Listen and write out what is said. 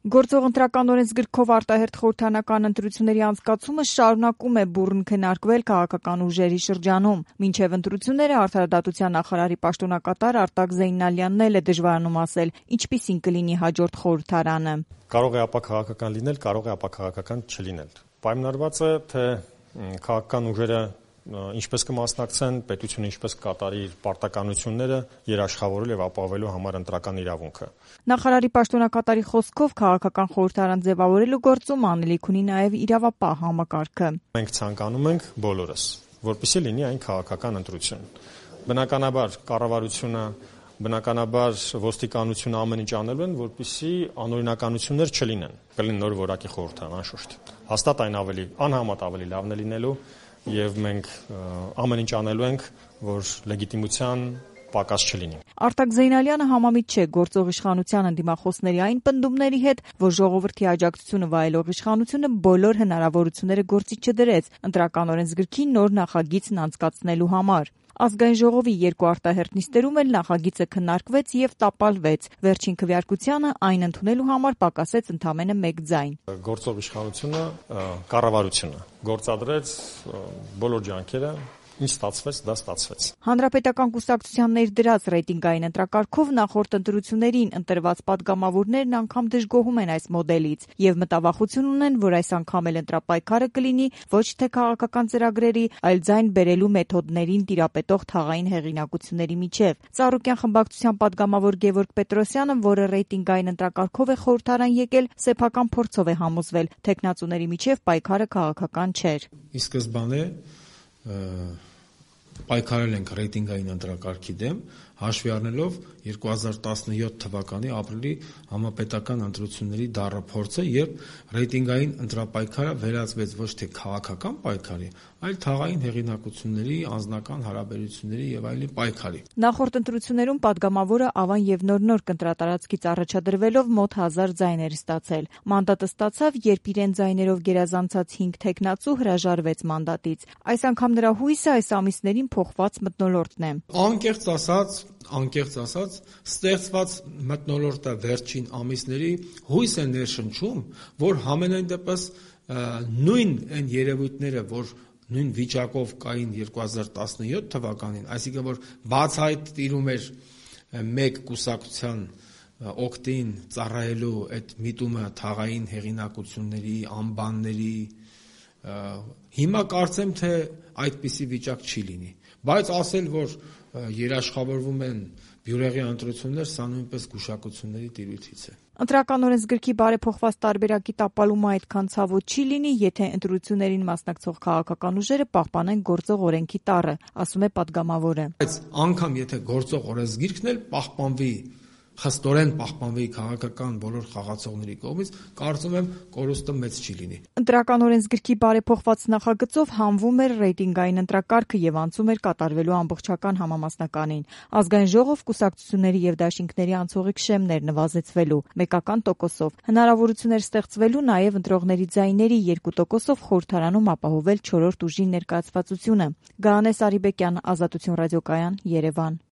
Գործող ընտրական օրենսգրքով արտահերթ խորհրդարանական ընտրությունների անցկացումը շարունակում է բուռն քննարկվել քաղաքական ուժերի շրջանում։ Մինչև ընտրությունները արդարադատության նախարարի պաշտոնակատար Արտակ Զեյնալյանն էլ է դժվարանում ասել, ինչպիսին կլինի հաջորդ խորհրդարանը։ Կարող է ապաքաղաքական լինել, կարող է ապաքաղաքական չլինել։ Պայմանավորված է, թե քաղաքական ուժերը ինչպես կմասնակցեն, պետությունը ինչպես կկատարի իր պարտականությունները երաշխավորել եւ ապահովելու համար ընտրական իրավունքը։ Նախարարի պաշտոնակատարի խոսքով քաղաքական խորհրդարան ձևավորելու գործում անելիք ունի նաեւ իրավապահ համակարգը։ Մենք ցանկանում ենք բոլորս, որպեսզի լինի այն քաղաքական ընտրություն։ Բնականաբար կառավարությունը, բնականաբար ոստիկանությունը ամեն ինչ անելու են, որպեսզի անօրինականություններ չլինեն։ Կլինի նոր որակի խորհրդարան, անշուշտ։ Հաստատ այն անհամեմատ ավելի լավն է լինելու եւ մենք ամեն ինչ անելու ենք, որ լեգիտիմության պակաս չլինի։ Արտակ Զեյնալյանը համամիտ չէ գործող իշխանության ընդդիմախոսների այն պնդումների հետ, որ ժողովրդի աջակցությունը վայելող իշխանությունը բոլոր հնարավորությունները գործի չդրեց ընտրական օրենսգրքի նոր նախագիծն անցկացնելու համար։ Ազգային ժողովի երկու արտահերթ նիստերում էլ նախագիծը քննարկվեց եւ տապալվեց։ Վերջին քվեարկությանը այն ընդունելու համար պակասեց ընդամենը 1 ձայն։ Գործող իշխանությունը, կառավարությունը գործադրեց բոլոր ջանքերը, ինչ ստացվեց, դա ստացվեց։ Հանրապետական կուսակցության ներդրած ռեյտինգային ընտրակարգով նախորդ ընտրություններին ընտրված падգամավորներն անգամ դժգոհում են այս մոդելից եւ մտավախություն ունեն, որ այս անգամ էլ ընտրապայքարը կլինի ոչ թե քաղաքական ծրագրերի, այլ ձայն բերելու մեթոդներին տիրապետող թաղային հեղինակությունների միջև։ Ծառուկյան խմբակցության падգամավոր Գևորգ Պետրոսյանը, որը ռեյտինգային ընտրակարգով է խորհրդարան եկել, սեփական փորձով է համոզվել, թեկնածուների միջև պայքարը քաղաքական չէր։ Ի սկզբանե պայքարել ենք ռեյտինգային ընտրակարգի դեմ, հաշվի առնելով 2017 թվականի ապրիլի համապետական ընտրությունների դառը փորձը, երբ ռեյտինգային ընտրապայքարը վերածվեց ոչ թե քաղաքական պայքարի, այլ թաղային հեղինակությունների, անձնական հարաբերությունների եւ այլի պայքարի։ Նախորդ ընտրություններում падգամավորը Ավան եւ Նոր կընտրատարածքից առաջադրվելով մոտ 1000 ձայներ ստացել։ Մանդատը ստացավ, երբ իրեն ձայներով գերազանցած 5 թեկնածու հրաժարվեց մանդատից։ Այս անգամ նրա հույսը այս ամիսներին փոխված մթնոլորտն է։ Անկեղծ ասած, ստեղծված մթնոլորտը վերջին ամիսների հույս է ներշնչում, որ համենայն դեպս նույն այն երևույթները, որ նույն վիճակով կային 2017 թվականին, այսինքն որ բացահայտ տիրում էր մեկ կուսակցության օգտին ծառայելու այդ միտումը թաղային հեղինակությունների, անբանների, հիմա կարծեմ, թե այդպիսի վիճակ չի լինի, բայց ասել, որ երաշխավորվում են բյուրեղի ընտրություններ, սա նույնպես գուշակությունների տիրույթից է։ Ընտրական օրենսգրքի բարեփոխված տարբերակի տապալումը այդքան ցավոտ չի լինի, եթե ընտրություններին մասնակցող քաղաքական ուժերը պահպանեն գործող օրենքի տառը, ասում է падգամավորը։ Բայց անգամ եթե գործող օրենսգիրքն էլ պահպանվի, խստորեն պահպանվի քաղաքական բոլոր խաղացողների կողմից, կարծում եմ կորուստը մեծ չի լինի։ Ընտրական օրենսգրքի բարեփոխված նախագծով հանվում էր ռեյտինգային ընտրակարգը եւ անցում էր կատարվելու ամբողջական համամասնականին։ Ազգային ժողով կուսակցությունների եւ դաշինքների անցողիկ շեմներ նվազեցվելու 1%-ով։ Հնարավորություն էր ստեղծվելու նաեւ ընտրողների ձայների 2%-ով խորհրդարանում ապահովել 4-րդ ուժի ներկայացվածությունը։ Գահանես Արիբեկյան, Ազատություն ռադիոկայան, Երևան։